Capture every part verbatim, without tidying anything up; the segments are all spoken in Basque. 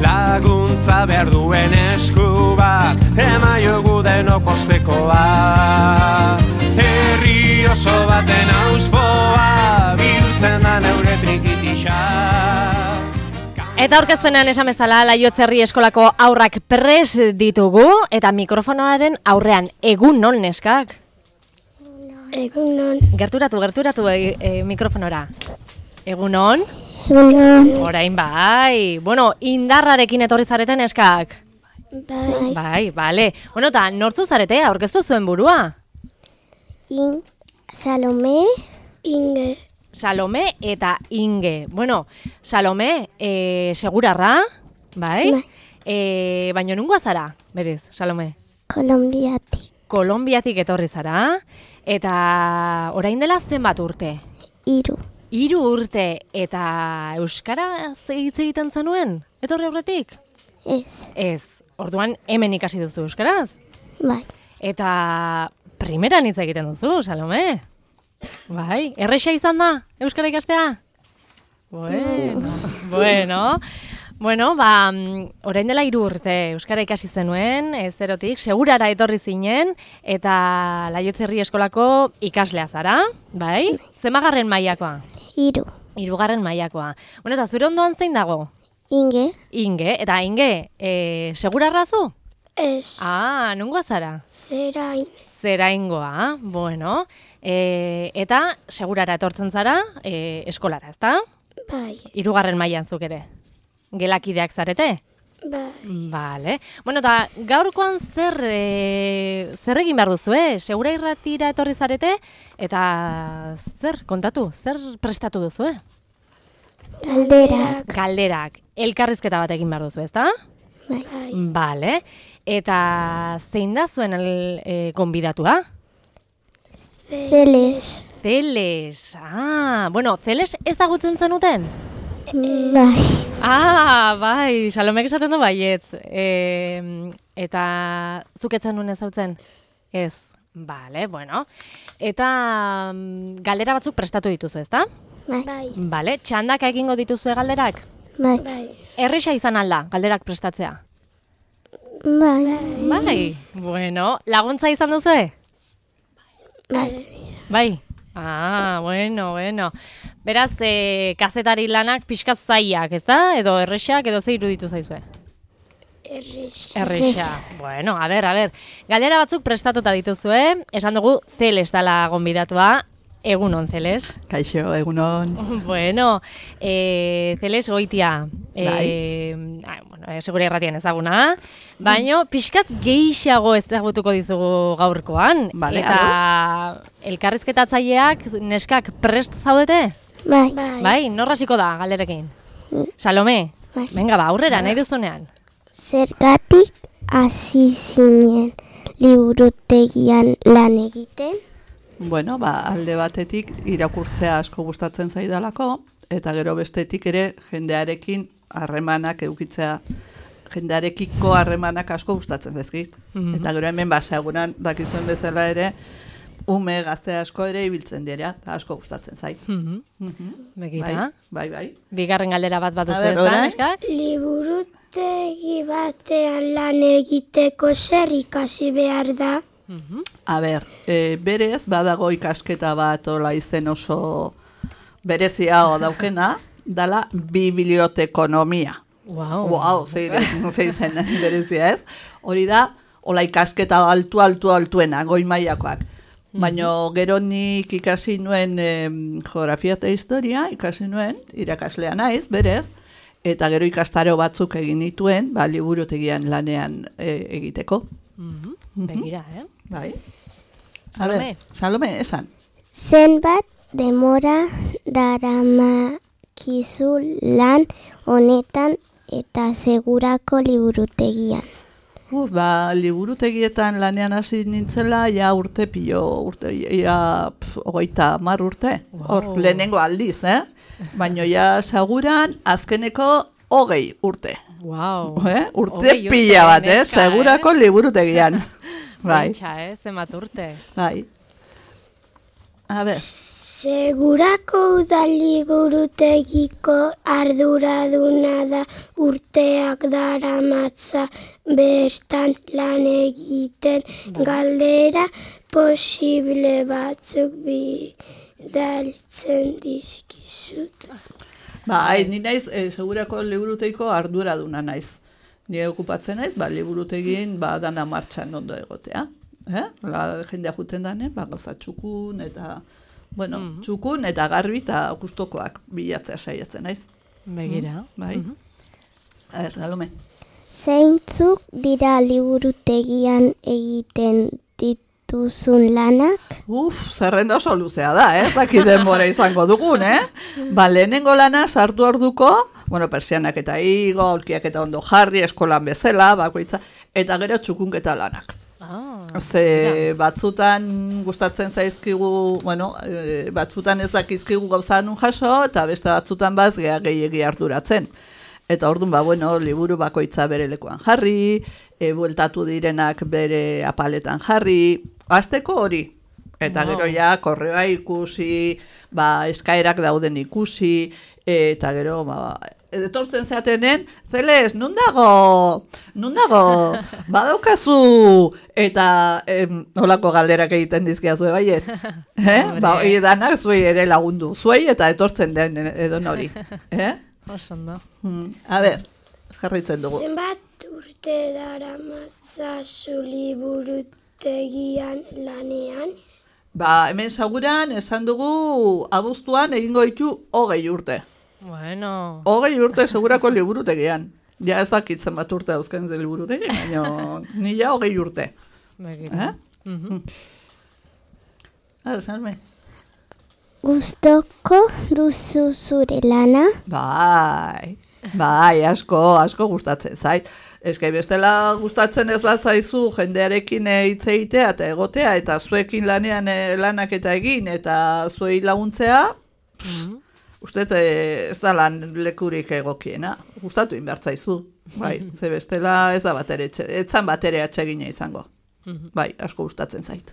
laguntza behar duen esku bat, emaiogu denok bostekoa. Herri oso baten auspoa, bihurtzen da neure trikitisa. Eta aurkezpenean esan bezala, Laiotzerri eskolako haurrak pres ditugu, eta mikrofonoaren aurrean, egun non neskak? Egun non. Gerturatu, gerturatu e, e, mikrofonora. Egun non? Egun non. Orain bai. Bueno, indarrarekin etorri zareten neskak? Bai. Bai, bale. Bueno, eta nortzu zarete, aurkeztu zuen burua? In, Salome, Inge. Salome eta Inge. Bueno, Salome, e, segurarra, bai? Bai. E, baina nungoa zara, berez, Salome? Kolombiatik. Kolonbiatik etorri zara, eta orain dela zenbat urte? Hiru. Hiru urte, eta euskara hitz egiten zenuen? Etorri aurretik? Ez. Ez, orduan hemen ikasi duzu euskaraz? Bai. Eta primeran hitz egiten duzu, Salome? Bai, erresa izan da, euskara ikastea? Bueno, bueno, bueno, ba, orain dela hiru urte euskara ikasi zenuen, e, zerotik, segurara etorri zinen, eta Laiotzerri eskolako ikaslea zara, bai? Zenbagarren mailakoa? Hiru. Hirugarren mailakoa. Bueno, eta zure ondoan zein dago? Inge. Inge, eta Inge, e, segurarra zu? Ez. Ah, nungoa zara? Zerain. Zeraingoa, bueno, e, eta segurara etortzen zara e, eskolara, ezta? Bai. Hirugarren mailan zuk ere. Gelakideak zarete? Bai. Vale. Bueno, eta gaurkoan zer e, zer egin behar duzu, eh? Segura irratira etorri zarete, eta zer, kontatu, zer prestatu duzu, eh? Galderak. Galderak. Elkarrizketa bat egin behar duzu, ezta? Bai. Vale. Eta zein da zuen el, e, konbidatua? Zeles. Zeles. Ah, bueno, Zeles ezagutzen zenuten? Bai. Ah, bai, Salomek esaten du baietz. E, eta zuk ez zenuen ezagutzen? Ez. Vale, bueno. Eta mm, galdera batzuk prestatu dituzu, ezta? Bai. Vale, txandak egingo dituzue galderak? Bai. Bai. Erresa izan alda, galderak prestatzea? Bai. Bai, bueno, laguntza izan duzue? Bai. Bai. Ah, bueno, bueno. Beraz, e, kazetari lanak pixkat zaiak, ez da? Edo erresak, edo ze iruditu zaizue? Erresa. Erresa. Bueno, a ber, a ber. Galera batzuk prestatuta dituzue. Esan dugu, Zeles dela gonbidatua. Egunon, Zeles. Kaixo, egunon. Bueno, e, Zeles goitia. E, bai. Bueno, e, segura irratian ezaguna. Baina, pixkat gehiago ezagutuko dizugu gaurkoan. Vale, eta ados. elkarrizketatzaileak, neskak prest zaudete? Bai. Bai, norra hasiko da galderekin? Salome, Bai. venga ba, aurrera, nahi duzunean. Zergatik hasi zinen liburutegian lan egiten? Bueno, ba, alde batetik irakurtzea asko gustatzen zaidalako, eta gero bestetik ere jendearekin harremanak edukitzea, jendearekiko harremanak asko gustatzen zaizkit. Mhm. Eta gero hemen baseguran dakizuen bezala ere, ume gazte asko ere ibiltzen dira, eta asko gustatzen zait. Mhm. Mhm. Begira. Bai, bai, bai. Bigarren galdera bat bat A duzu ber, ez da, orain? neskak? Liburutegi batean lan egiteko zer ikasi behar da? Mhm. A ber, e, berez, badago ikasketa bat ola izen oso berezia daukena, dala bibliotekonomia. Wow. Wow, zeire, ze izen berezia ez. Hori da, ola ikasketa altu, altu, altuena, goi mailakoak. Baina gero nik ikasi nuen em, geografia eta historia, ikasi nuen, irakaslea naiz, berez, eta gero ikastaro batzuk egin nituen, ba, liburutegian lanean e, egiteko. Mhm. Begira, eh? Bai. Salome. A ber, Salome, esan. Zenbat demora daramakizu lan honetan eta segurako liburutegian? Uh, ba, liburutegietan lanean hasi nintzela, ja urte pilo, urte, ja, pf, hogeita mar urte. Hor, Wow. lehenengo aldiz, eh? Baina ja seguran azkeneko hogei urte. Wow. Eh? Urte Hogei urte, pila bat, eh? neska, Segurako liburutegian. Bai, Pentsa, eh? Zenbat urte. bai. A ber, Segurako udaliburutegiko arduraduna da urteak daramatza bertan lan egiten galdera posible batzuk bidaltzen dizkizut. Ba, hai, ni naiz, e, segurako liburutegiko arduraduna naiz. Ni okupatzen naiz, ba, liburutegin ba, dana martxan ondo egotea. Eh? La jendea juten dane, ba, gauza txukun eta... Bueno, mm -hmm. txukun eta garbi eta gustokoak bilatzea saiatzen naiz. Begira. Mm, bai. Mm -hmm. A ber, Salome. Zeintzuk dira liburutegian egiten dituzun lanak? Uf, zerrenda oso luzea da, eh? Zaki denbora izango dugun, eh? Ba, lehenengo lana sartu orduko, bueno, persianak eta igo, aulkiak eta ondo jarri, eskolan bezala, bakoitza, eta gero txukunketa lanak. Ah, Ze batzutan gustatzen zaizkigu, bueno, e, batzutan ez dakizkigu gauza nun jaso, eta beste batzutan baz gea gehiegi arduratzen. Eta orduan, ba, bueno, liburu bakoitza bere lekuan jarri, e, bueltatu direnak bere apaletan jarri, hasteko hori. Eta gero ja, korreoa ikusi, ba, eskaerak dauden ikusi, eta gero, ba, etortzen zeatenen, Zeles, nun dago, nun dago, badaukazu, eta em, olako galderak egiten dizkiazu baiet. Eh? Ba, hori danak zuei ere lagundu, zuei eta etortzen den edon hori. Eh? Osondo. Hmm. A ber, jarraitzen dugu. Zenbat urte daramatzazu liburutegian lanean? Ba, hemen seguran esan dugu abuztuan egingo ditu hogei urte. Bueno. Hogei urte segurako liburutegian. Ja ez dakitzen bat urte dauzken ze liburutegi, baina ni ja hogei urte. Begira. Eh? Mm-hmm. Ara, Salme. Gustoko duzu zure lana? Bai, bai, asko, asko gustatzen zait. Eskai bestela gustatzen ez bat zaizu jendearekin hitz egitea eta egotea, eta zuekin lanean e, lanak eta egin, eta zuei laguntzea, mm-hmm. Uste ez da lan lekurik egokiena, gustatu inbertzaizu, bai, ze bestela ez da batere, etzan batere atsegina izango, bai, asko gustatzen zait.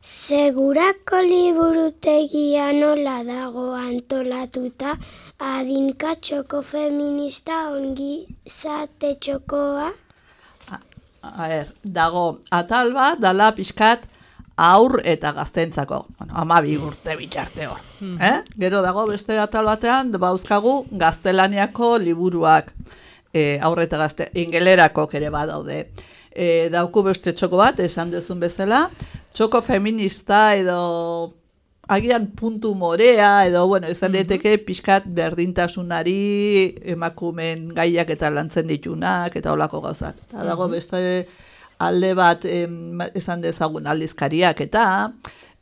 Segurako liburutegia nola dago antolatuta, adinka txoko feminista ongizate txokoa? A, a er, dago atal bat, dala pixkat, aur eta gaztentzako, bueno, amabi urte bitxarte hor. Mm. Eh? Gero dago beste atal batean, bauzkagu gaztelaniako liburuak, e, aur eta gazte, ingelerako ere badaude. E, dauku beste txoko bat, esan duzun bezala, txoko feminista edo agian puntu morea, edo, bueno, izan daiteke pixkat berdintasunari emakumen gaiak eta lantzen ditunak, eta holako gauzak. Eta dago beste alde bat em, esan dezagun aldizkariak eta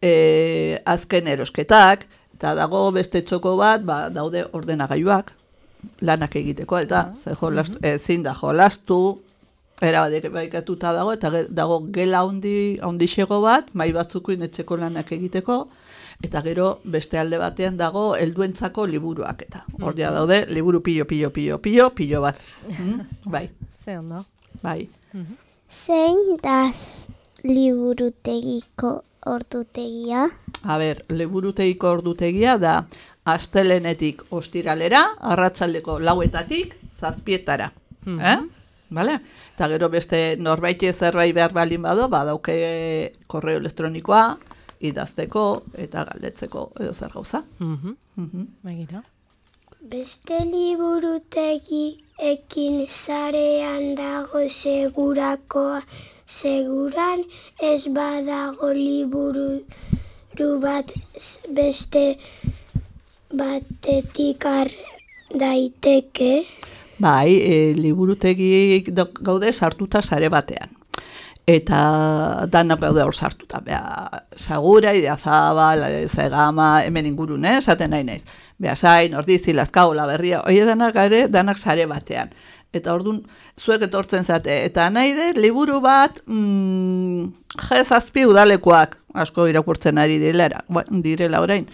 e, azken erosketak, eta dago beste txoko bat, ba, daude ordenagailuak, lanak egiteko, eta uh-huh. jolastu, ezin da jolastu, erabatek baikatuta dago, eta dago gela handi, handixego bat, mai batzukuin etxeko lanak egiteko, eta gero beste alde batean dago helduentzako liburuak, eta hor ja daude, liburu pilo, pilo, pilo, pilo, pilo bat. Mm? Bai. Ze ondo. Bai. Uh-huh. Zein da liburutegiko ordutegia? A ber, liburutegiko ordutegia da astelenetik ostiralera, arratsaldeko lauetatik zazpietara. Mm-hmm. Eh? Vale? Eta gero beste norbaiti zerbait behar balin bado, badauke korreo elektronikoa, idazteko eta galdetzeko edo zer gauza. Mhm. Mhm. Begira. Beste liburutegi ekin sarean dago segurakoa, seguran ez badago liburu bat beste batetik har daiteke. Bai, e, liburutegi gaude sartuta sare batean. Eta danak gaude hor sartuta. Bea, Sagura, Idiazabal, Zegama, hemen ingurun, eh? Esaten nahi naiz. Beasain, Ordizi, Lazkao, Laberria, hori danak gare, danak sare batean. Eta orduan, zuek etortzen zate. Eta nahi de, liburu bat, mm, jezazpi udalekoak, asko irakurtzen ari direla, direla orain.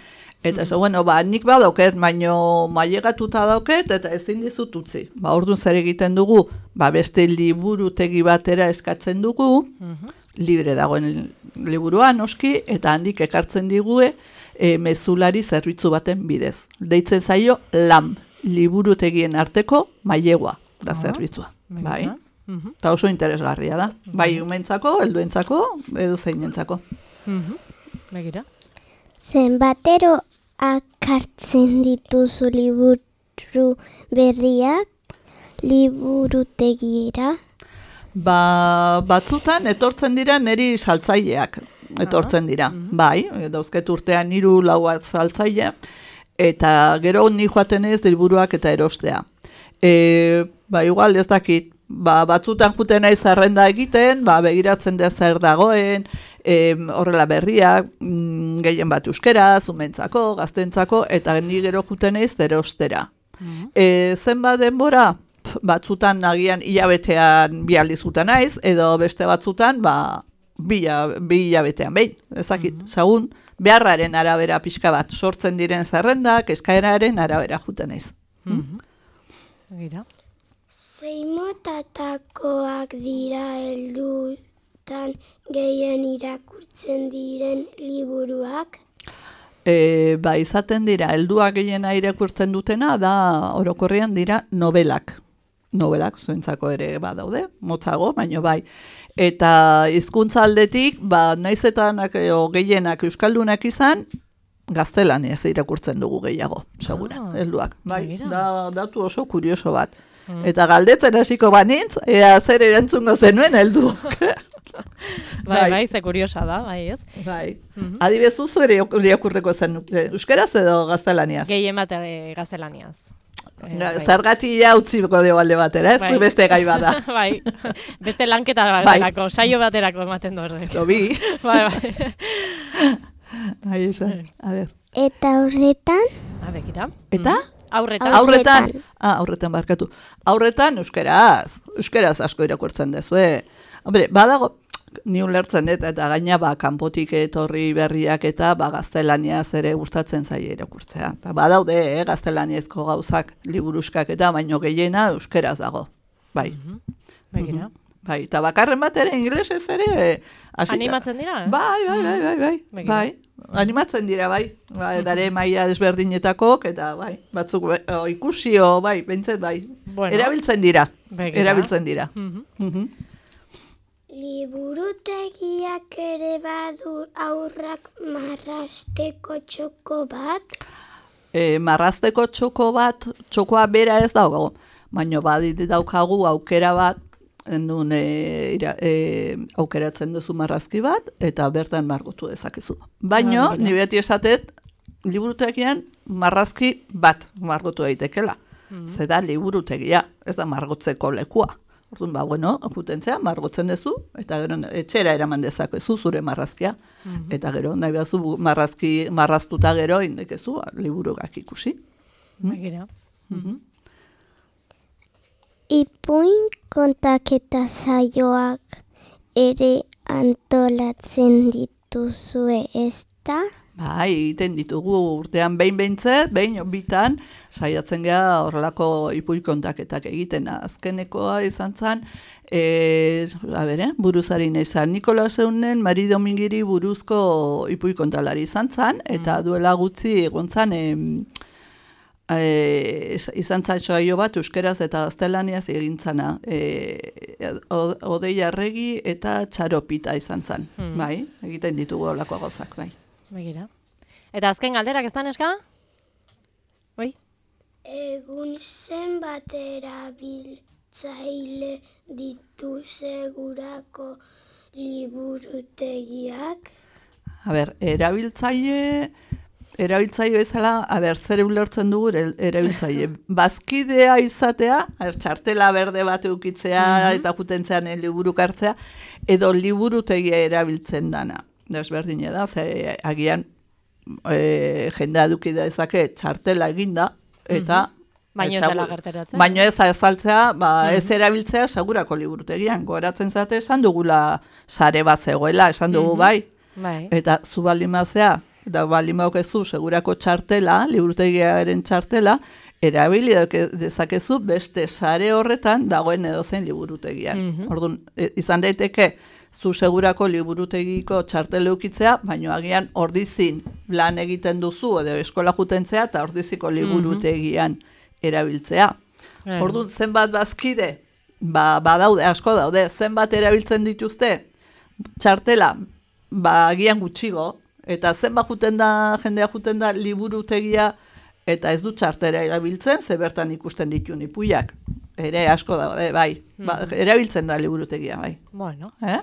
Eta ez, mm. bueno, ba, nik badauket, baino mailegatuta dauket, eta ezin dizut utzi. Ba, orduan zer egiten dugu, ba, beste liburutegi batera eskatzen dugu, mm-hmm. libre dagoen liburua noski, eta handik ekartzen digue e, mezulari zerbitzu baten bidez. Deitzen zaio LAM, liburutegien arteko mailegua da Ah, zerbitzua. begira. Bai. Mhm. Eta oso interesgarria da. Bai umentzako, helduentzako, edo zeinentzako. Mhm. Begira. Zenbatero akartzen dituzu liburu berriak liburutegira? Ba, batzutan etortzen dira neri saltzaileak. Etortzen dira. Bai, dauzket urtean hiru lau saltzaile, eta gero ni joaten ez liburuak eta erostea. E, ba, igual ez dakit, ba, batzutan juten naiz zerrenda egiten, ba, begiratzen da zer dagoen, e, horrela berriak, mm, gehien bat euskera, zumentzako, gaztentzako, eta ni gero juten naiz erostera. E, zenbat denbora? Batzutan agian hilabetean bi aldiz juten naiz, edo beste batzutan, ba, bi, bi hilabetean behin, ez dakit, segun, beharraren arabera pixka bat, sortzen diren zerrendak, eskaeraren arabera juten naiz. Begira. Zeimotatakoak dira heldutan gehien irakurtzen diren liburuak? E, ba, izaten dira, helduak gehiena irakurtzen dutena, da orokorrean dira nobelak. Nobelak, zuentzako ere badaude, motzago, baino bai. Eta hizkuntza aldetik, ba, naiz eta gehienak euskaldunak izan, gaztelaniaz irakurtzen dugu gehiago, segura, Ah, helduak. Bai, begira. da, datu oso kurioso bat. Eta galdetzen hasiko banintz, ea zer erantzungo zenuen helduak. Bai, bai, ze kuriosa da, bai, ez? Bai. Adibezu zu ere irakurteko zen euskeraz edo gaztelaniaz? Gehien bat eh, gaztelaniaz. Eh, bai. Zergatia utziko dugu alde batera, ez? Bai. Beste gai bada. Bai, beste lanketa Bai. baterako, saio baterako ematen du horrek. Tobi. Bai, bai. Ahí esan. A ver. Eta horretan? A begira. Eta? Aurretan. Aurretan. Aurretan. Ah, aurretan barkatu. Aurretan euskeraz. Euskeraz asko irakurtzen dezue. Hombre, badago, ni ulertzen dut, eta gaina ba, kanpotik etorri berriak eta ba, gaztelaniaz ere gustatzen zaie irakurtzea. Eta badaude, eh, gaztelaniazko gauzak, liburuskak eta baino gehiena euskeraz dago. Bai. Begira. Bai, eta bakarren bat ere ingelesez ere eh, hasita. Animatzen dira? eh? Bai, bai, bai, bai, bai, Begira. bai. Animatzen dira, bai. Bai, dare maila desberdinetakok, eta bai, batzuk be- o, ikusio, bai, bentset, bai. Bueno. Erabiltzen dira, Begira. erabiltzen dira. Mhm. Mhm. Liburutegiak ere badu aurrak marrasteko txoko bat? E, marrazteko txoko bat, txokoa bera ez dago, baino badit daukagu aukera bat, nun e, ira, e, aukeratzen duzu marrazki bat, eta bertan margotu dezakezu. Baino, Ah, begira. ni beti esatet, liburutegian marrazki bat margotu daitekela. Zeda liburutegia, ez da margotzeko lekua. Orduan, ba, bueno, jutentzea, margotzen duzu, eta gero etxera eraman dezakezu zure marrazkia. Eta gero, nahi behazu marrazki, marraztuta gero, indekezu, liburugak ikusi. Begira. Ipuin kontaketa saioak ere antolatzen dituzue, ezta? Bai, egiten ditugu urtean behin behintzet, behin bitan, saiatzen geha horrelako ipuin kontaketak egiten. Azkenekoa izan zen, e, a bere, buruzari izan, Nikola Seunen Mari Domingiri buruzko ipuin kontalari izan zen, eta duela gutxi egon zen, em, E, izan zain saio bat euskeraz eta gaztelaniaz egin zana. E, Odei Arregi eta Txaropita izan zan. Bai, egiten ditugu olako gauzak, bai. Begira. Eta azken galderak ez da, neska? Oi? Egun zenbat erabiltzaile ditu segurako liburutegiak? A ber, erabiltzaile... Erabiltzaile bezala, a ber, zer ulertzen dugu er- erabiltzaile. Bazkidea izatea, a ber, txartela berde bat eukitzea eta jutentzean liburuk hartzea, edo liburutegia erabiltzen dana. Desberdine da, ze agian e, jendea eduki dezake txartela eginda, eta... Baino ez Segur- dela gerteratzen. Baino ez azaltzea, ba, ez erabiltzea segurako liburutegian. Goratzen zate esan dugula sare bat zegoela, esan dugu bai. Bai. Eta zu baldin bazea, eta baldin baukezu segurako txartela, liburutegiaren txartela, erabili dezakezu beste sare horretan dagoen edozein liburutegian. Mhm. Orduan, e, izan daiteke zu segurako liburutegiko txartele ukitzea, baino agian ordizin lan egiten duzu edo eskola jutentzea eta ordiziko liburutegian erabiltzea. Claro. Orduan, zenbat bazkide, ba, badaude, asko daude, zenbat erabiltzen dituzte txartela, ba, agian gutxigo, eta zenbat juten da, jendea juten da liburutegia, eta ez du txartera erabiltzen, ze bertan ikusten ditun ipuiak. Ere asko daude, bai. Ba, erabiltzen da liburutegia, bai. Bueno. Eh?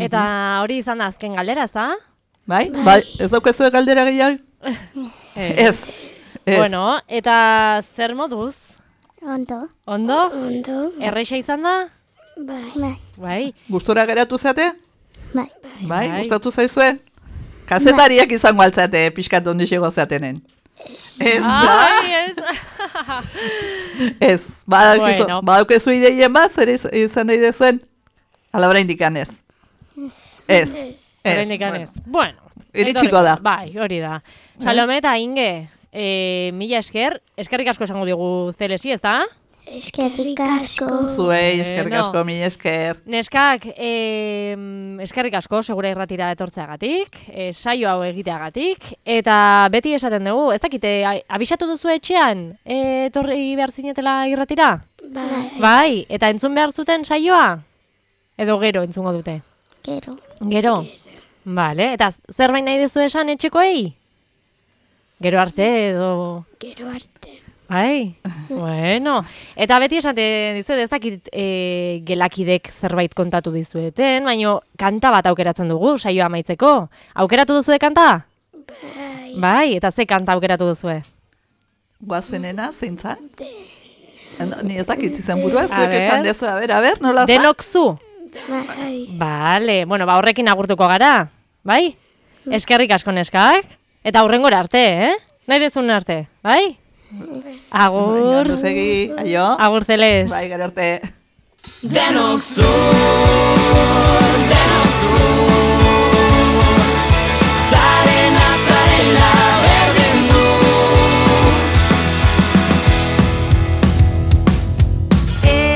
Eta hori izan da azken galdera, ez da? Bai? Bai. Ez daukezue galdera gehiago? Ez. Ez. Bueno, eta zer moduz? Ondo. Ondo? Ondo. Erreixa izan da? Bai. Bai. Bai. Gustura geratu zate? Bai. Bai, Bai. gustatu zaizue? Kazetariak izango altzate, pixkat ondixego zatenen. Ez da? Ai, ez. Ez, badaukezu, Bueno. badaukezu ideien bat, zer iz- izan nahi dezuen? Ala oraindik ez. Ez. Ez. Oraindik ez. Bueno. Iritsiko etorri- da. Bai, hori da. Salome eta Inge, eh, mila esker, eskerrik asko esango digu zelesi, ez da? Eskerrik asko. Zuei, eskerrik Bueno. asko, mila esker. Neskak, eh, eskerrik asko, segura irratira etortzeagatik, eh, saio hau egiteagatik, eta beti esaten dugu, ez dakite, a- abisatu duzu etxean, eh, etorri behar zinetela irratira? Bai. Bai, eta entzun behar zuten saioa? Edo gero entzungo dute? Gero. Gero? Vale, eta zerbait nahi duzu esan etxekoei? Gero arte edo... Gero arte. Bai, bueno. Eta beti esaten dizuet, ez dakit e, gelakidek zerbait kontatu dizueten, baina kanta bat aukeratzen dugu, saioa amaitzeko. Aukeratu duzue kanta? Bai. Bai, eta ze kanta aukeratu duzue? Guazenena, zeintzan? Ni ez dakit izen burua, A zuek ber. esan dezu, a ber, a ber, nola za? Denok zu? Bai. Vale, bueno, ba horrekin agurtuko gara, bai? Eskerrik asko neskak, eta aurrengora arte, eh? Nahi dezun arte, bai? Agur, Ondo segi, aio. agur zeles. Bai, gero arte. Denok zu